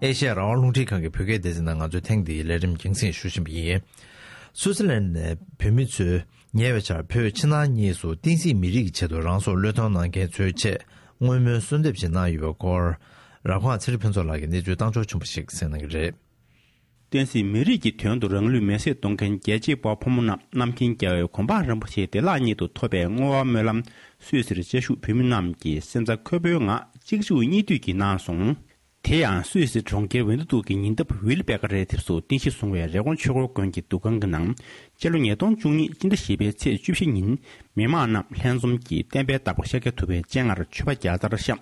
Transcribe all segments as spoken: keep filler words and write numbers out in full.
ཨེ་ཤེ་ཡ་རང་དབང་རླུང་འཕྲིན་ཁང་གི་བོད་སྐད་སྡེ་ཚན་ནང་ང་ཚོའི་ཐེངས་འདིའི་ལས་རིམ་རྒྱང་སྲིང་ཞུ་བཞིན་པ་ཡིན། སུའུ་ཙི་ལན་ནས་བོད་མི་ཚོས་ཉེ་བའི་ཆར་བོད་ཕྱི་ནང་གཉིས་སུ་བསྟན་སྲིད་མི་རིགས་ཀྱི་ཆེད་དུ་རང་སྲོག་བློས་གཏོང་གནང་མཁན་ཚོའི་ཆེད་བསྔོ་སྨོན་གསོལ་འདེབས་ཤིག་གནང་ཡོད་པའི་སྐོར། རབ་ཁོང་ཚེ་རིང་ཕུན་ཚོགས་ལགས་ཀྱིས་གནས་ཚུལ་བཏང་འབྱོར་བྱུང་བ་ཞིག་གསན་གནང་གི་རེད། བསྟན་སྲིད་མི་རིགས་ཀྱི་དོན་དུ་རང་ལུས་མེར་སྲེག་གཏོང་མཁན་རྒྱལ་གཅེས་དཔའ་བོ་ཕོ་མོ་རྣམས་རྣམ་མཁྱེན་རྒྱལ་བའི་གོ་འཕང་རིན་པོ་ཆེ་བདེ་བླག་ཉིད་དུ་ཐོབ་པའི་བསྔོ་བ་སྨོན་ལམ་སུད་སིར་བཅའ་བཞུགས་བོད་མི་རྣམས་ཀྱིས་སེམས་རྩ་འཁོལ་པོའི་ངང་གཅིག་མཇུག་གཉིས་མཐུད་ཀྱིས་གནང་སོང་། དེ་ཡང་སུད་སི་གྲོང་ཁྱེར་ཝེན་ཏི་ཏུག་གི་ཉེ་འདབས་ཝིལ་པེ་ཀ་རའི་ཐེབས་སུ་རྟེན་གཞི་བཟུང་བའི་རི་ཀོན་ཆོས་འཁོར་དགོན་གྱི་འདུ་ཁང་གི་ནང་སྤྱི་ལོ་ཉིས་སྟོང་བཅུ་གཉིས་སྤྱི་ཟླ་བཞི་པའི་ཚེས་བཅུ་བཞི་ཉིན་མི་མང་རྣམས་ལྷན་འཛོམས་ཀྱིས་བསྟན་པའི་བདག་པོ་ཤཱཀྱ་ཐུབ་པའི་སྤྱན་སྔར་མཆོད་པ་བརྒྱ་རྩར་བཤམས།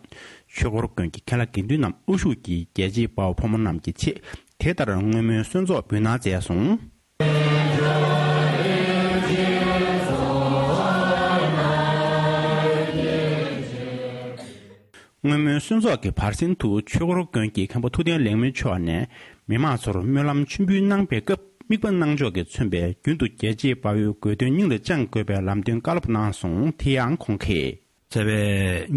ཆོས་འཁོར་དགོན་གྱི་མཁན་བླ་དགེ་འདུན་རྣམས་དབུ་བཞུགས་ཀྱིས་རྒྱལ་གཅེས་དཔའ་བོ་ཕོ་མོ་རྣམས་ཀྱི་ཆེད་དེ་ལྟར་བསྔོ་སྨོན་གསོལ་ཚོགས་འབུལ་གནང་མཛད་སོང་། བསྔོ་སྨོན་གསོལ་ཚོགས་ཀྱི་བར་གསེང་དུ་ཆོས་འཁོར་དགོན་གྱི་མཁན་པོ་ཐུབ་བསྟན་ལེགས་སྨོན་མཆོག་ནས་མི་མང་ཚོར་སྨོན་ལམ་མཆོད་འབུལ་གནང་པའི་སྐབས་དམིགས་པ་གནང་ཕྱོགས་ཀྱིས་མཚོན་པའི་རྒྱུན་དུ་རྒྱལ་གཅེས་དཔའ་བོའི་དགོས་དོན་སྙིང་ལ་བཅངས་དགོས་པའི་ལམ་སྟོན་བཀའ་སློབ་གནང་སོང་། དེ་ཡང་ཁོང་གིས། རྩ་བའི་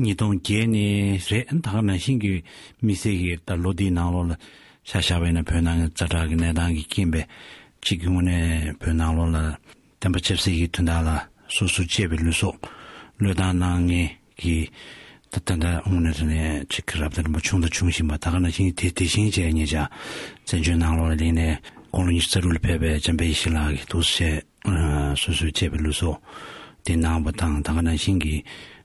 ཉིས་སྟོང་བརྒྱད་ནས་རེད། ད་ག་ནང་བཞིན་གྱི་དམིགས་བསལ་གྱི་ད་ལོ་འདིའི་ནང་ལོགས་ལ་ཆ་བཞག་པ་ཡིན་ན་བོད་ནང་གི་ཛ་དྲག་གི་གནས་སྟངས་ཀྱི་རྐྱེན་པས་གཅིག་གི་ངོས་ནས་བོད་ནང་ལོགས་ལ་བསྟན་པ་ཆབ་སྲིད་ཀྱི་དོན་དག་ལ་སོ་སོ་གཅེས་པའི་ལུས་སྲོག་བློས་བཏང་གནང་མཁན་གྱི་ད་ད་ལྟ་དངོས་གནས་དྲང་གནས་གཅིག་གི་རབ་དང་རིམ་པ་བྱུང་དང་འབྱུང་བཞིན་པ། ད་ག་ནང་བཞིན་དེ་དེ་བཞིན་བྱས་ཉེ་ཆར་བཙན་བྱོལ་ནང་ལོགས་ལ་གླེང་ནས་དགུང་ལོ་ཉི་ཤུ་རྩ་དྲུག་ལ་ཕེབས་པའི་འཇམ་དཔལ་ཡེ་ཤེས་ལགས་ཀྱི་འདུག་སེ་བྱས། ཨ་སོ་སོའི་གཅེས་པའི་ལུས་སྲོག་དེ་གནང་བ་དང་། ད་ག་ནང་བཞིན་གྱི་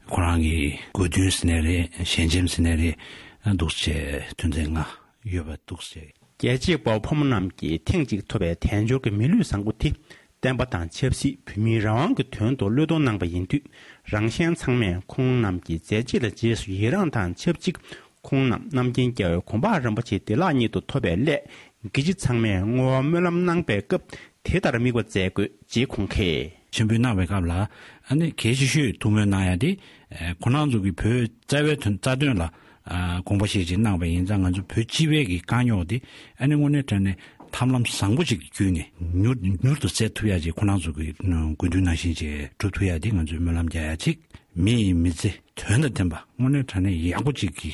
ཁོ་རང་གི་དགོས་འདུན་ཟེར་ནའི་རེད། ཞལ་ཆེམས་ཟེར་ནའི་རེད། ཨ་འདུག་སེ་བྱས་དོན་ཚན་ལྔ་ཡོད་པ་འདུག་སེ་བྱས། རྒྱལ་གཅེས་དཔའ་བོ་ཕོ་མོ་རྣམས་ཀྱིས་ཐེངས་གཅིག་ཐོབ་པའི་དལ་འབྱོར་གྱི་མི་ལུས་བཟང་པོ་དེ་བསྟན་པ་དང་ཆབ་སྲིད་བོད་མིའི་རང་དབང་གི་དོན་དུ་བློས་གཏོང་གནང་པ་ཡིན་དུས། རང་གཞན་ཚང་མས་ཁོང་རྣམས་ཀྱི་མཛད་རྗེས་ལ་རྗེས་སུ་ཡི་རངས་དང་ཆབས་ཅིག་ཁོང་རྣམས་རྣམ་མཁྱེན་རྒྱལ་བའི་གོ་འཕང་རིན་པོ་ཆེ་བདེ་བླག་ཉིད་དུ་ཐོབ་པའི་སླད། དགེ་བཅུ་ཚང་མས་བསྔོ་བ་སྨོན་ལམ་གནང་པའི་སྐབས་དེ་ལྟར་དམིགས་པ་མཛད་དགོས་ཅེས་ཁོང་གིས། མཆོད་འབུལ་གནང་བའི་སྐབས་ལ་ཨ་ནི་གལ་ཆེ་ཤོས་ཐུགས་སྨོན་གནང་ཡ་དེ། ཨ་ཁོང་རྣམ་ཚོ་གིས་བོད་རྩ་བའི་དོན་རྩ་དོན་ལ་ཨ་དགོངས་པ་བཞེས་ཅིག་གནང་བ་ཡིན་ཙང་། ང་ཚོ་བོད་སྤྱི་པའི་གི་དཀའ་རྙོག་དེ་ཨ་ནི་དངོས་གནས་དྲང་གནས་ཐབས་ལམ་བཟང་པོ་ཅིག་གི་བརྒྱུད་ནས་མྱུར་མྱུར་དུ་སེལ་ཐུབ་ཡ་ཅིག་ཁོང་རྣམ་ཚོ་གི་དགོས་འདུན་ནང་བཞིན་ཅིག་འགྲུབ་ཐུབ་ཡ་དེ་ང་ཚོས་སྨོན་ལམ་རྒྱག་ཡ་ཅིག་མི་ཡི་མི་ཚེ་དོན་དང་ལྡན་པ་དངོས་གནས་དྲང་གནས་ཡག་པོ་ཅིག་གི་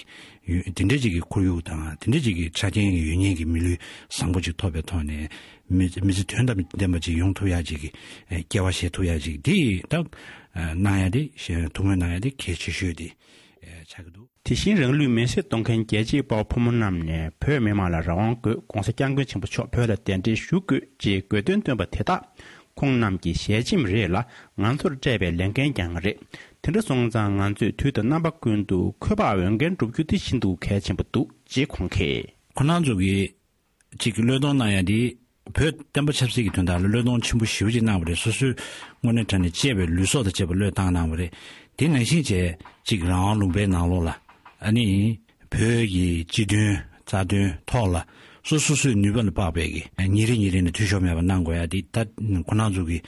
ཡོད། དེ་འདྲ་ཅིག་གི་ཁོར་ཡུག་དང་དེ་འདྲ་ཅིག་གི་ཆ་རྐྱེན་ཡོད་མཁན་གྱི་མི་ལུས་བཟང་པོ་ཅིག་ཐོབ་པའི་ཐོག་ནས་མི་མི་ཚེ་དོན་དང་ལྡན་པ་ཅིག་ཡོང་ཐུབ་ཡ་ཅིག་གི་སྐྱེ་བ་བཞེས་ཐུབ་ཡ་ཅིག་དེ་ད་གནང་ཡ་དེ་ཐུགས་སྨོན་གནང་ཡ་དེ་གལ་ཆེ་ཤོས་དེ་ཆགས་ཀྱི་འདུག་དེ་བཞིན་རང་ལུས་མེར་སྲེག་གཏོང་མཁན་རྒྱལ་གཅེས་དཔའ་བོ་ཕོ་མོ་རྣམས་ནས་བོད་མི་མང་ལ་རང་དབང་དགོས། ྋགོང་ས་ྋསྐྱབས་མགོན་ཆེན་པོ་མཆོག་བོད་ལ་གདན་འདྲེན་ཞུ་དགོས་ཅེས་དགོས་འདུན་བཏོན་པ་དེ་དག་ཁོང་རྣམས་ཀྱི་ཞལ་ཆེམས་རེད་ལ། ང་ཚོར་སྤྲད་པའི་ལས་འགན་ཀྱང་རེད། དེ་འདྲ་སོང་ཙང་ང་ཚོས་དུས་དང་རྣམ་པ་ཀུན་ཏུ་འཁོས་དཔག་འོས་འགན་བསྒྲུབ་རྒྱུ་དེ་ཤིན་ཏུ་གལ་ཆེན་པོ་འདུག་ཅེས་ཁོང་གིས། ཁོང་རྣམ་ཚོ་གིས་གཅིག་གི་བློས་གཏོང་གནང་ཡ་དེ་བོད་བསྟན་པ་ཆབ་སྲིད་ཀྱི་དོན་དག་ལ་བློས་གཏོང་ཆེན་པོ་ཞེ་པོ་ཅིག་གནང་བ་རེད། སོ་སོའི་དངོས་གནས་དྲང་གནས་གཅེས་པའི་ལུས་སྲོག་དང་བཅས་པ་བློས་བཏང་གནང་བ་རེད། དེ་ནང་བཞིན་བྱས་གཅིག་རང་དབང་ལུང་པའི་ནང་ལོགས་ལ་ཨ་ནི་བོད་ཀྱི་སྤྱི་དོན་རྩ་དོན་ཐོག་ལ་སོ་སོ་སོའི་ནུས་པ་ལ་དཔག་པའི་གི་ཉིན་རེ་ཉིན་རེ་ནས་འཐུས་ཤོར་མེད་པ་གནང་དགོས་ཡ་དེ་ད་ཁོང་རྣམ་ཚོ་གིས་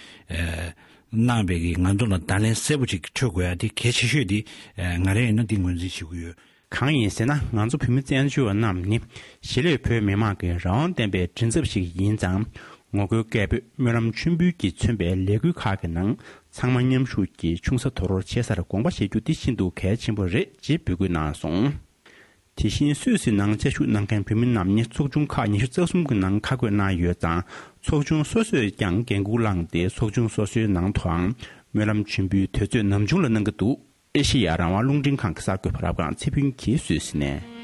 གནང་པའི་གི་ང་ཚོ་ལ་བརྡ་ལན་གསལ་པོ་ཅིག་འཕྲོད་དགོས་ཡ་དེ་གལ་ཆེ་ཤོས་དེ་ང་རང་ཡིན་ན་དེ་ངོས་འཛིན་བྱེད་ཀྱི་ཡོད། གང་ཡིན་ཟེར་ན། ང་ཚོ་བོད་མི་བཙན་བྱོལ་བ་རྣམས་ནི་གཞིས་ལུས་བོད་མི་མང་གི་རང་དབང་བསྟན་པའི་མགྲིན་ཚབ་ཞིག་ཡིན་ཙང་། ངོ་རྒོལ་སྐད་འབོད། སྨོན་ལམ་མཆོད་འབུལ་གྱིས་མཚོན་པའི་ལས་འགུལ་ཁག་གི་ནང་ཚང་མ་མཉམ་ཞུགས་ཀྱིས་ཆུང་ས་དོ་རོར་ཆེ་སར་དགོངས་པ་བཞེས་རྒྱུ་འདི་ཤིན་ཏུ་གལ་ཆེན་པོ་རེད་ཅེས་འབོད་སྐུལ་གནང་སོང་། དེ་བཞིན་སུད་སི་ནང་བཅའ་བཞུགས་གནང་མཁན་བོད་མི་རྣམས་ནི་ཚོགས་ཆུང་ཁག་ཉི་ཤུ་རྩ་གསུམ་གྱི་ནང་ཁ་བགོས་གནང་ཡོད་ཙང་། ཚོགས་ཆུང་སོ་སོས་ཀྱང་འགན་འཁུར་བླངས་ཏེ་ཚོགས་ཆུང་སོ་སོའི་ནང་དུའང་སྨོན་ལམ་མཆོད་འབུལ་དུས་ཚོད་ནམ་བྱུང་ལ་གནང་གི་འདུག་ཨེ་ཤེ་ཡ་རང་དབང་རླུང་འཕྲིན་ཁང་གི་གསར་འགོད་པ་རབ་སྒང་ཚེ་ཕུན་གྱིས་སུད་སི་ནས།